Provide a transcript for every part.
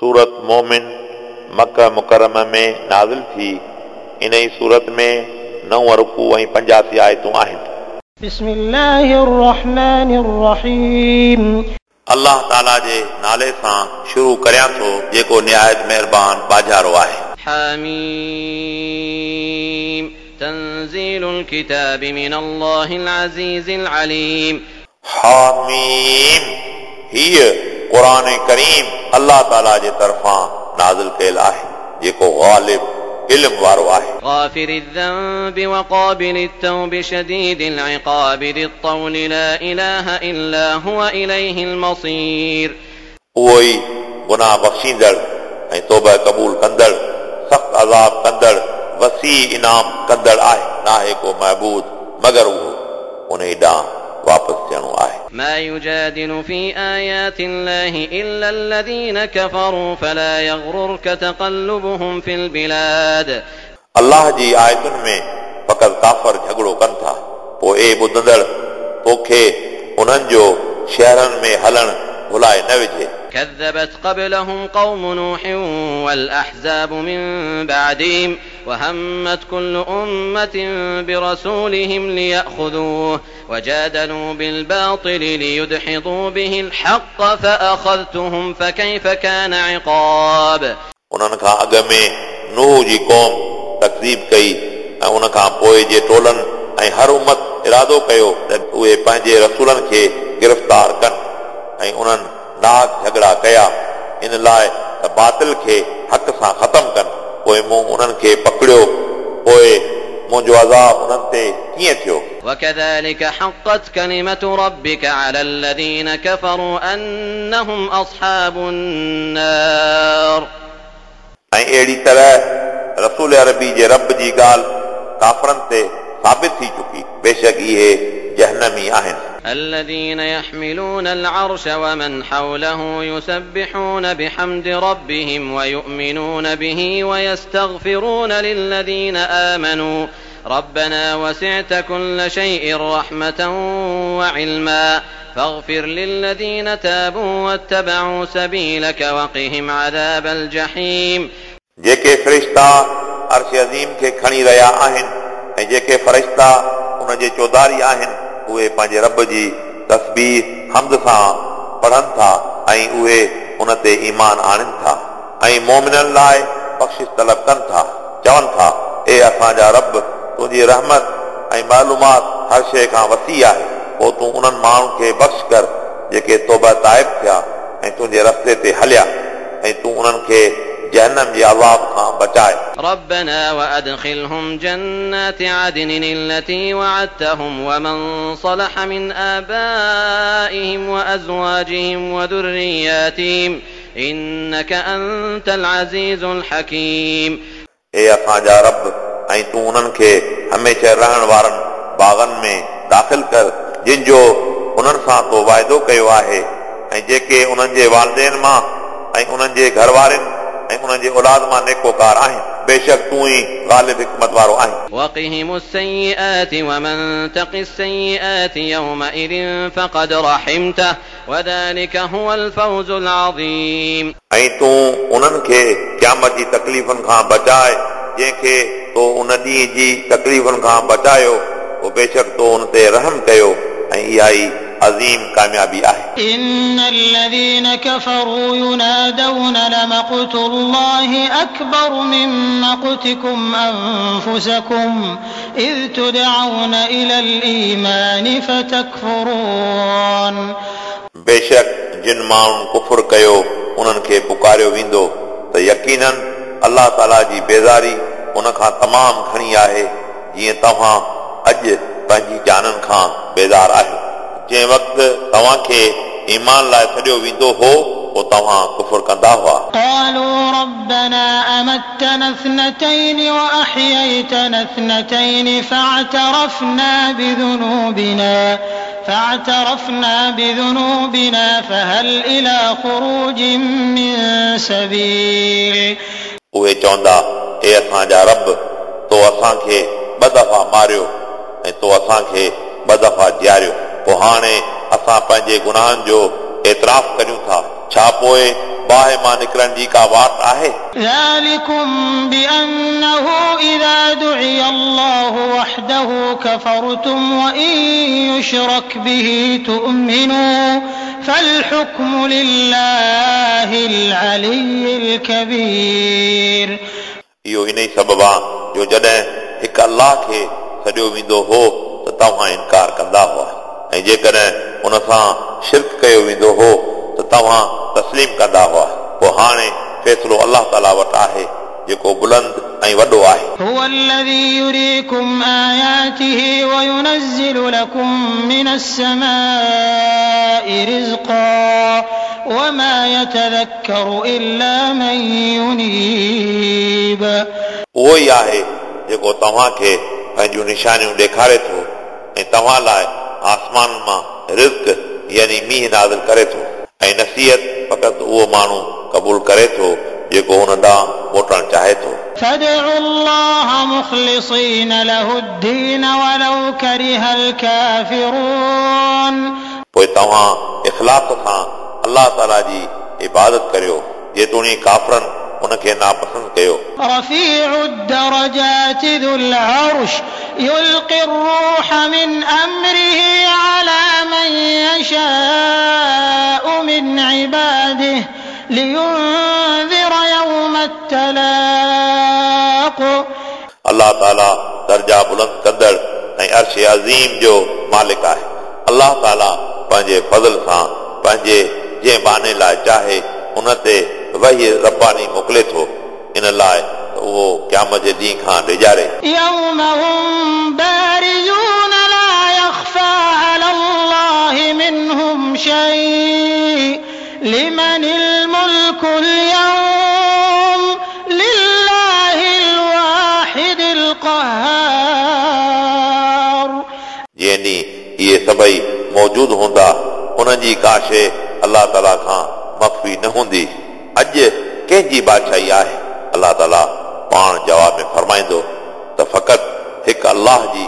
सूरत मोमिन मक्का मुकर्रमा में नाज़िल थी। इन ई सूरत में 9 रुकू ऐं 85 आयतूं आहिनि। बिस्मिल्लाहिर्रहमानिर्रहीम। अल्लाह ताला जे नाले सां शुरू करियां थो जेको निहायत महिरबान बाजारो आहे। हामीम तंज़ीलुल किताब मिन अल्लाहिल अज़ीज़िल अलीम। हामीम हीअ क़ुरान करीम अल्लाह ताला जे तरफ़ां नाज़िल कयल आहे जेको ग़ालिब इल्म वारो आहे। ग़ाफ़िरिज़ ज़ंबि व क़ाबिलित तौब शदीदिल इक़ाब ज़ित तौल ला इलाहा इल्ला हुव इलैहिल मसीर। उहो ई गुनाह बख़्शींदड़ ऐं तौबा क़बूल कंदड़ सख़्त अज़ाब कंदड़ वसी इनाम कंदड़ आहे। नाहे को महबूद मगर उहो उन ॾांहुं वापसि थियणो आहे। ما يجادل في آيات الله إلا الذين كفروا فلا يغررك تقلبهم في البلاد। अल्लाह जी आयतुनि में फ़क़ति काफ़र झगड़ो कनि था, पोइ ए ॿुधंदड़ तोखे उन्हनि जो शहरनि में हलणु भुलाए न विझे। كذبت قبلهم قوم نوح والأحزاب من بعدهم وهمت كل أمة برسولهم ليأخذوه وجادلوا بالباطل ليدحضوا به الحق فأخذتهم فكيف كان عقاب। उन्हनि खां अॻ में नूह जी क़ौम तकज़ीब कई ऐं उन खां पोइ जे टोलनि ऐं हर उमत इरादो कयो त उहे पंहिंजे रसूलनि खे गिरफ़्तार कनि ऐं उन्हनि नाहक झगड़ा कया इन लाइ त बातिल खे हक़ सां ख़तमु कनि। पोइ मूं उन्हनि खे पकड़ियो, पोइ मुंहिंजो अज़ाब उन्हनि ते कीअं थियो। وكذلك حقت كلمة ربك على الذين كفروا أنهم أصحاب النار। ऐं अहिड़ी तरह रसूल अरबी जे रब जी ॻाल्हि काफ़रनि ते साबित थी चुकी, बेशक इहे जहनमी आहिनि। الذين يحملون العرش ومن حوله يسبحون بحمد ربهم ويؤمنون به ويستغفرون للذين آمنوا ربنا وسعت كل شيء رحمة وعلما فاغفر للذين تابوا واتبعوا سبيلك وقهم عذاب الجحيم। जेके फ़रिश्ता अर्श अज़ीम खे खणी रहिया आहिनि ऐं जेके फ़रिश्ता उन जे चौधारी आहिनि उहे पंहिंजे रब जी तस्बीह हम्द सां पढ़नि था ऐं उहे उन ते ईमान आणनि था ऐं मोमिननि लाइ बख़्शिश तलब कनि था। चवनि था, ए असांजा रब, तुंहिंजी रहमत ऐं मालूमात हर शइ खां वसी आहे, पोइ तूं उन्हनि माण्हुनि खे बख़्श कर जेके तौबा ताइब थिया ऐं तुंहिंजे रस्ते ते हलिया ऐं तूं उन्हनि खे जहन्नम जे अज़ाब खां बचाए। ربنا وأدخلهم جنات عدن التي وعدتهم ومن صلح من آبائهم وأزواجهم وذرياتهم إنك أنت العزيز الحكيم। ए असांजा रब, ऐं तूं उन्हनि खे हमेशह रहण वारनि बाग़नि में दाख़िल कर जिन जो उन्हनि सां तो वाइदो कयो आहे ऐं जेके उन्हनि जे वालिदैन मां ऐं उन्हनि जे घर वारनि ऐं उन्हनि जे औलाद मां नेकोकार आहिनि, बेशक तूं ई ग़ालिब हिकमत वारो आहीं। وقهم السيئات ومن تق السيئات يومئذ فقد رحمته وذلك هو الفوز العظيم। ऐं तूं उन्हनि खे क़यामत जी तकलीफ़ुनि खां बचाए जंहिंखे तो उन ॾींहं जी तकलीफ़ुनि खां बचायो, पोइ बेशक तो उन ते रहम कयो ऐं इहा ई अज़ीम कामयाबी आहे। إن الذين كفروا ينادون لمقت الله أكبر من مقتكم أنفسكم إذ تدعون إلى الإيمان فتكفرون। बेशक जिन माण्हुनि कुफुर कयो उन्हनि खे पुकारियो वेंदो त यकीनन अल्लाह ताला जी बेज़ारी उन खां तमामु घणी आहे जीअं तव्हां अॼु पंहिंजी जाननि खां बेज़ार आहियो। जंहिं वक़्तु तव्हांखे ईमान लाइ सॾियो वेंदो हो पोइ तव्हां कुफुर कंदा हुआ। قالوا ربنا أمتنا اثنتين وأحييتنا اثنتين فاعترفنا بذنوبنا فهل إلى خروج من سبيل। उहे चवंदा, ए असांजा रब, तो असांखे ॿ दफ़ा मारियो ऐं तो असांखे ॿ दफ़ा जीआरियो, पोइ हाणे असां पंहिंजे गुनाहनि जो एतिराफ़ करियूं था, छा पोइ बाहि मां निकिरण जी का वाट आहे? ذلكم بأنه إذا دعي الله وحده كفرتم وإن يشرك به تؤمنوا فالحكم لله العلي الكبير. इहो इन ई सबब आहे जो जॾहिं हिकु अल्लाह खे सॾियो वेंदो हो त तव्हां इनकार कंदा हुआ ऐं जेकॾहिं उन सां शिर्क कयो वेंदो हो त तव्हां तस्लीम कंदा हुआ। पोइ हाणे फ़ैसिलो अलाह ताला वटि आहे जेको बुलंद ऐं वॾो आहे। هو الذي يريكم آياته وينزل لكم من السماء رزقا وما يتذكر إلا من ينيب. उहो ई आहे जेको तव्हांखे पंहिंजूं निशानियूं ॾेखारे थो ऐं तव्हां लाइ आसमान मां रिज़्क यानी मींहुं नाज़िल करे थो ऐं नसीहत फ़क़ति उहो माण्हू क़बूल करे थो जेको हुन ॾांहुं मोटणु चाहे थो। فادعوا الله مخلصين له الدين ولو كره الكافرون. पोइ तव्हां इख़लास सां अलाह ताला जी इबादत करियो जेतोणीक काफ़रनि उनखे नापसंदि कयो। رفيع الدرجات ذو العرش يلقي الروح من أمره على من يشاء من عباده لينذر يوم التلاق. अलाह ताला दर्जा बुलंद कंदड़ ऐं अर्श अज़ीम जो मालिक आहे। अलाह ताला पंहिंजे फज़ल सां पंहिंजे जंहिं बाने लाइ चाहे उन ते वही रब्बानी मोकिले थो इन लाइ त उहो क़यामत जे ॾींहं खां डिॼारे। يوم هم بارزون لا يخفى على الله منهم شيء لمن الملك اليوم لله الواحد القهار. जंहिं ॾींहुं इहे सभई मौजूदु हूंदा उन्हनि जी का शइ अलाह ताला खां मख़फ़ी न हूंदी। अॼु कंहिंजी बादशाही आहे? अलाह ताला पाण जवाब में फरमाईंदो त फ़क़ति हिकु अलाह जी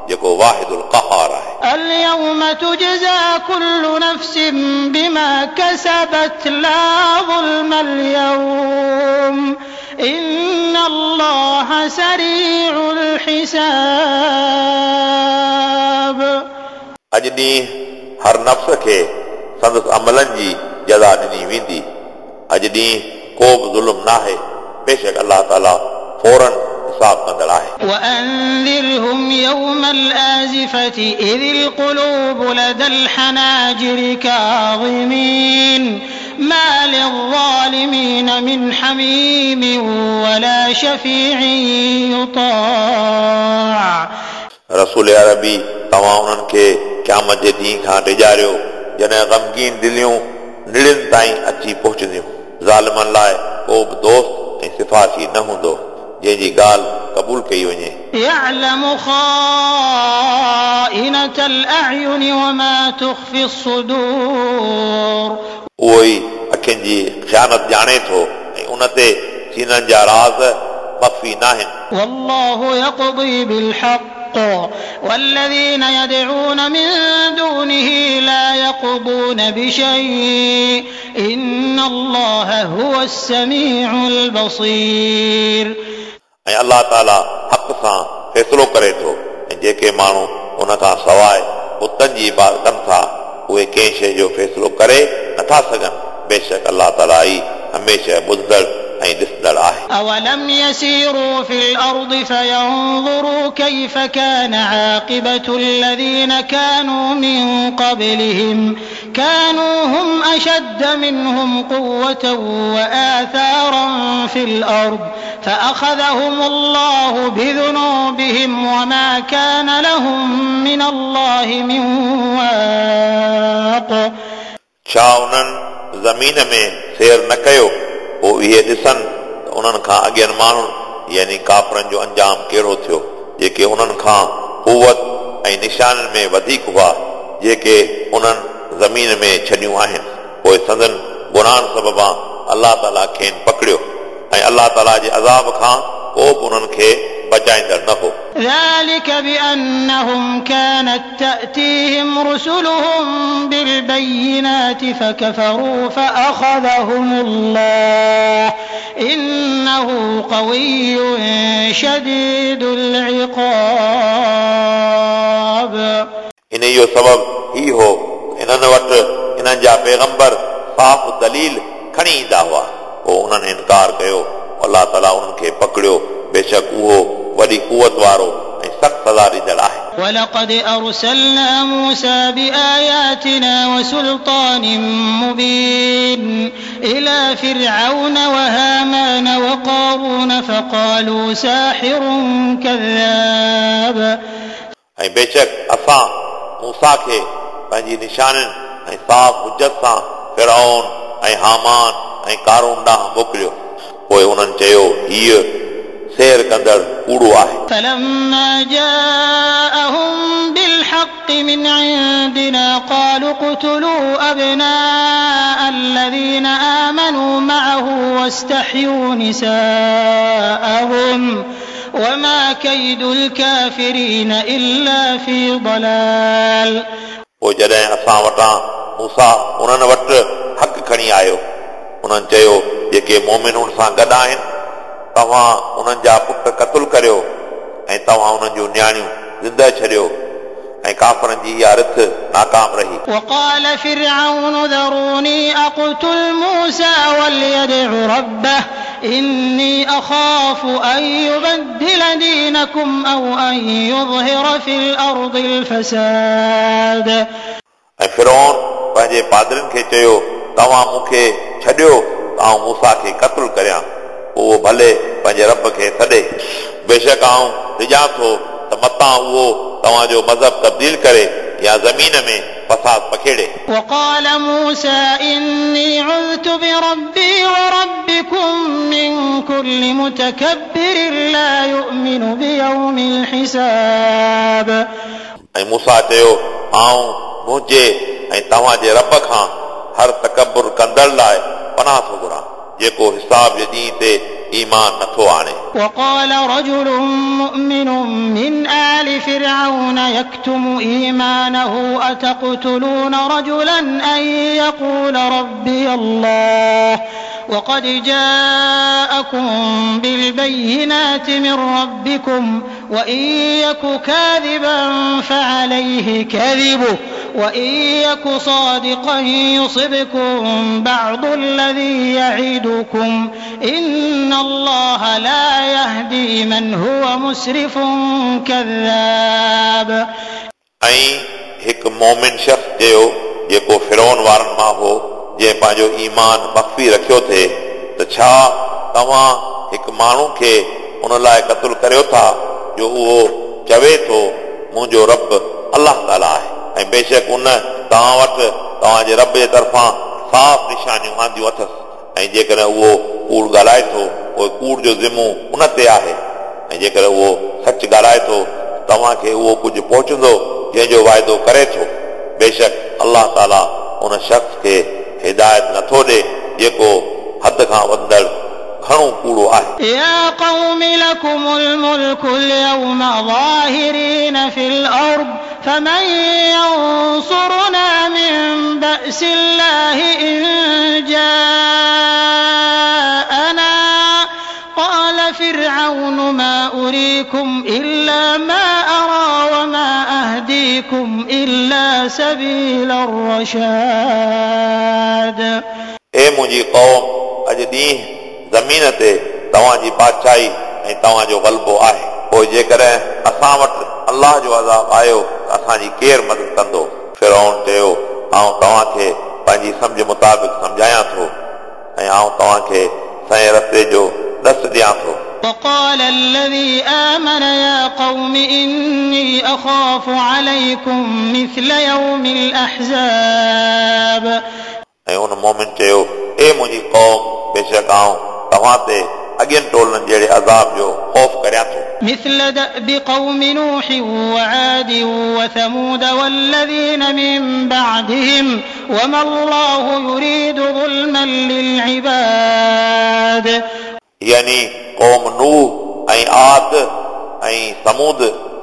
जेको वाहिदुल क़हार आहे। اليوم تجزى كل نفس بما كسبت لا ظلم اليوم إن الله سريع الحساب. अॼु ॾींहुं हर नफ़्स खे संदसि अमलनि जी जज़ा ॾिनी वेंदी। अॼु ॾींहुं को बि ज़ुल्म न आहे, बेशक अलाह ताला फ़ौरन हिसाब कंदड़ आहे। وأنذرهم يوم الآزفة إذ القلوب لدى الحناجر كاظمين ما للظالمين من حميم ولا شفيع يطاع. रसूल अरबी तव्हां उन्हनि खे क़यामत जे ॾींहं खां डिॼारियो जॾहिं ग़मगीन दिलियूं निड़ियुनि ताईं अची पहुचंदियूं। ज़ालिमनि लाइ को बि दोस्त ऐं सिफारशी न हूंदो जंहिंजी ॻाल्हि क़बूल कई वञे। يعلم خائنة الأعين وما تخفي الصدور. उहो ई अखियुनि जी ख़ियानत ॼाणे थो ऐं उन ते सीननि जा राज़ मख़फ़ी न आहिनि। والله يقضي بالحق والذين يدعون من دونه لا يقضون بشيء إن الله هو السميع البصير. ऐं अलाह ताला हक़ सां फ़ैसिलो करे थो ऐं जेके माण्हू उन खां सवाइ बुतनि जी इबादत कनि था उहे कंहिं शइ जो फ़ैसिलो करे नथा सघनि। बेशक अलाह ताला ई हमेशह ॿुधंदड़ ऐं ॾिसंदड़ आहे। أولم يسيروا في الأرض فينظروا كيف كان عاقبة الذين كانوا من قبلهم كانوا هم أشد منهم قوة وآثارا في الأرض فأخذهم الله بذنوبهم وما كان لهم من الله من واق. छा उन्हनि ज़मीन में सैर न कयो पोइ इहे ॾिसनि त उन्हनि खां अॻियनि माण्हुनि यानी काफ़रनि जो अंजाम कहिड़ो थियो जेके उन्हनि खां कुवत ऐं निशाननि में वधीक हुआ जेके उन्हनि ज़मीन में छॾियूं आहिनि। पोइ संदन गुनाहनि सबबां अलाह ताला खेनि पकड़ियो ऐं अलाह ताला जे अज़ाब खां को बि उन्हनि खे बचाईंदड़ न हो। ذلك بأنهم كانت تأتيهم رسلهم بالبينات فكفروا فأخذهم الله إنه قوي شديد العقاب। इन इहो सबबु ही हो इन्हनि वटि इन्हनि जा पैगंबर साफ़ दलील खणी ईंदा हुआ, पोइ उन्हनि इनकार कयो, अलाह ताला उन्हनि खे पकड़ियो, बेशक उहो वॾी कुवत वारो ऐं सख़्तु सज़ा ॾींदड़ आहे। ولقد أرسلنا موسى بآياتنا وسلطان مبين إلى فرعون وهامان وقارون فقالوا ساحر كذاب। ऐं बेशक असां मूसा खे पंहिंजी निशाननि ऐं साफ़ हुजत सां फिरौन ऐं हामान ऐं कारून ॾांहुं मोकिलियो, पोइ उन्हनि चयो हीअ सैर कंदड़ कूड़ो आहे। فلما جاءهم بالحق من عندنا قالوا اقتلوا أبناء الذين آمنوا معه واستحيوا نساءهم وما كيد الكافرين إلا في ضلال। पोइ जॾहिं असां वटां मूसा उन्हनि वटि हक़ खणी आयो, उन्हनि चयो जेके मोमिन उन सां गॾु आहिनि तव्हां उन्हनि जा पुट क़तलु करियो ऐं तव्हां उन्हनि जूं नियाणियूं ज़िंदा छॾियो, ऐं काफ़रनि जी इहा रिथ नाकाम रही। وقال فرعون ذروني أقتل موسى وليدع ربه إني أخاف أن يبدل دينكم أو أن يظهر في الأرض الفساد। ऐं फिरौन पंहिंजे पादरनि खे चयो तव्हां मूंखे छॾियो त आउं मूसा खे क़तलु करियां, उहो भले पंहिंजे रब खे सॾे, बेशक आउं ॾिजां थो त मतां उहो तव्हांजो मज़हब तब्दील करे या ज़मीन में फसाद पखेड़े। وقال موسى إني عذت بربي وربكم من كل متكبر لا يؤمن بيوم الحساب। ऐं मूसा चयो आउं मुंहिंजे ऐं तव्हांजे रब खां हर तकबुर कंदड़ लाइ पनाह थो घुरां जेको हिसाब जे ॾींहं ते ईमान नथो आणे। وقال رجل مؤمن من آل فرعون يكتم إيمانه أتقتلون رجلا أن يقول ربي الله وقد جاءكم بالبينات من ربكم وإن يك كاذبا فعليه كذبه وإن يك صادقا يصبكم بعض الذي يعدكم إن الله لا يهدي من هو مسرف كذاب। ऐं हिकु मोमिन शख़्स चयो जेको फिरौन वारनि मां हो जंहिं पंहिंजो ईमान मख़फ़ी रखियो थिए त छा तव्हां हिकु माण्हू खे उन लाइ क़तलु करियो था जो उहो चवे थो मुंहिंजो रब अलाह ताला आहे, ऐं बेशक उन तव्हां वटि तव्हांजे रब जे तरफ़ां साफ़ निशानियूं आंदियूं अथसि, ऐं जेकॾहिं उहो कूड़ ॻाल्हाए थो पोइ कूड़ जो ज़िमो उन ते आहे, ऐं जेकॾहिं उहो सच ॻाल्हाए थो तव्हांखे उहो कुझु पहुचंदो जंहिंजो वाइदो करे थो, बेशक अलाह ताला उन शख़्स खे हिदायत नथो ॾे जेको हद खां वधंदड़ घणो कूड़ो आहे। يا قوم لكم الملك اليوم ظاهرين في الأرض فمن ينصرنا من بأس الله إن جاءنا قال فرعون ما أريكم إلا ما أرى وما أهديكم إلا سبيل الرشاد। ए मुंहिंजी क़ौम, अॼु ॾींहुं ज़मीन ते तव्हांजी बादशाही ऐं तव्हांजो ग़लबो आहे, पोइ जेकॾहिं असां वटि अलाह जो अज़ाब आयो त असांजी केरु मदद कंदो? फिरौन चयो आउं तव्हांखे पंहिंजी सम्झ मुताबिक़ सम्झायां थो ऐं आउं तव्हांखे सही रस्ते जो ॾस ॾियां थो। وقال الذي آمن يا قوم إني أخاف عليكم مثل يوم الأحزاب। ऐं उन मोमिन चयो ए मुंहिंजी क़ौम, बेशक आउं तव्हां ते अॻियनि टोलनि जहिड़े अज़ाब जो ख़ौफ़ करियां थो। مثل دأب قوم نوح وعاد وثمود والذين من بعدهم وما الله يريد ظلما للعباد। यानी क़ौम नूह ऐं आद ऐं समूद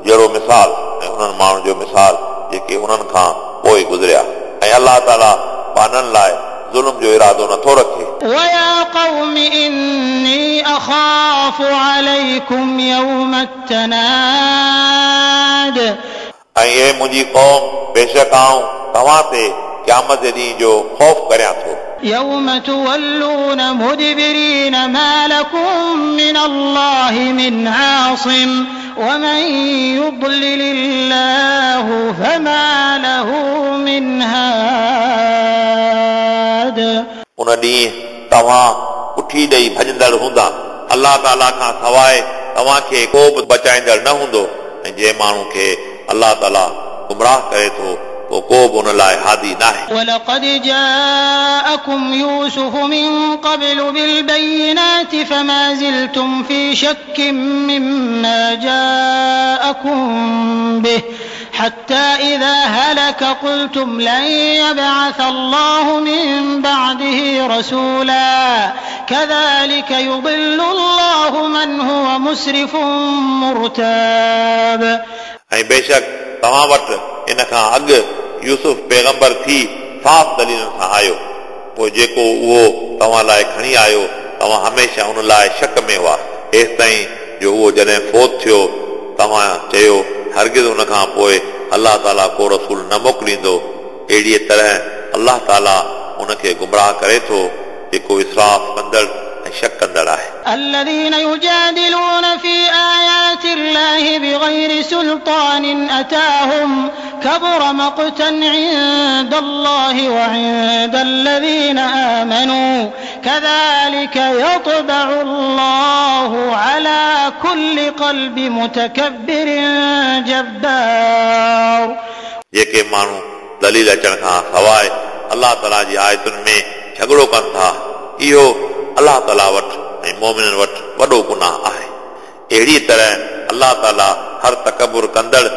जहिड़ो मिसाल ऐं उन्हनि माण्हुनि जो मिसाल जेके उन्हनि खां पोइ गुज़रिया ऐं अलाह ताला ॿान्हनि लाइ ज़ुल्म जो इरादो नथो रखे। ويا قوم إني أخاف عليكم يوم التناد। ऐं हे मुंहिंजी क़ौम, बेशक आउं तव्हां ते क़यामत जे ॾींहुं जो ख़ौफ़ करियां थो। يوم تولون مدبرين ما لكم من الله من عاصم ومن يضلل الله فما له من هاد। उन ॾींहुं तव्हां पुठी ॾेई भॼंदड़ हूंदा, अलाह ताला खां सवाइ तव्हांखे को बि बचाईंदड़ न हूंदो ऐं जंहिं माण्हू खे अलाह ताला गुमराह करे थो पोइ को बि उन लाइ हादी नाहे। ولقد جاءكم يوسف من قبل بالبينات فما زلتم في شك مما جاءكم به حتى إذا هلك قلتم لن يبعث الله من بعده رسولا كذلك يضل الله من هو مسرف مرتاب। ऐं बेशक तव्हां वटि इन खां अॻु यूसुफ पैगंबर थी साफ़ दलीलनि सां आयो, पोइ जेको उहो तव्हां लाइ खणी आयो तव्हां हमेशह उन लाइ शक में हुआ, हेसि ताईं जो उहो जॾहिं फौत थियो तव्हां चयो हरगिज़ उन खां पोइ अलाह ताला को रसूल न मोकिलींदो। अहिड़ीअ तरह अलाह ताला उनखे गुमराह करे थो जेको इसराफ़ कंदड़ ऐं शक कंदड़ आहे। الذين يجادلون في آيات الله بغير سلطان أتاهم كبر مقتا عند الله وعند الذين آمنوا كذلك يطبع الله على كل قلب متكبر جبار। जेके माण्हू दलील अचण खां सवाइ अलाह ताला जी आयतुनि में झगड़ो कनि था, इहो अलाह ताला वटि ऐं मोमिननि वटि वॾो गुनाह आहे। अहिड़ी तरह अलाह ताला हर तकबुर कंदड़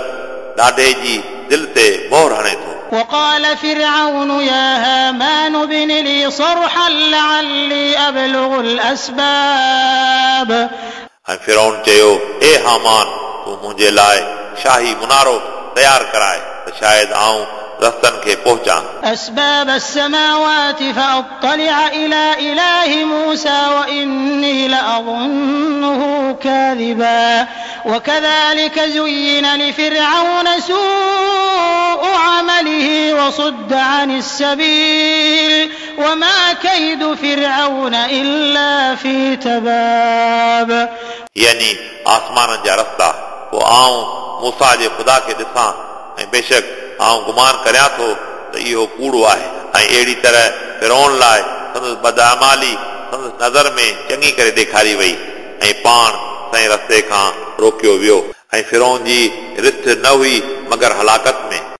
ॾाढे जी दिलि ते मोहर हणे थो। وقال فرعون يا هامان ابن لي صرحا لعلي أبلغ الأسباب। ऐं फिरौन चयो, ए हामान, तूं मुंहिंजे लाइ शाही मुनारो तयारु कराए त शायदि आउं रस्तनि खे पहुचां। أسباب السماوات فأطلع إلى إله موسى وإني لأظنه كاذبا وكذلك زين لفرعون سوء عمله وصد عن السبيل وما كيد فرعون إلا في تباب। यानी आसमाननि जा रस्ता, पोइ आउं मूसा जे ख़ुदा खे ॾिसां ऐं बेशक आउं गुमान करियां थो त इहो कूड़ो आहे। ऐं अहिड़ी तरह फिरौन लाइ संदसि बदआमाली संदसि नज़र में चङी करे ॾेखारी वई ऐं पाण सही रस्ते खां रोकियो वियो। ऐं फिरौन जी रिथ न हुई मगर हलाकत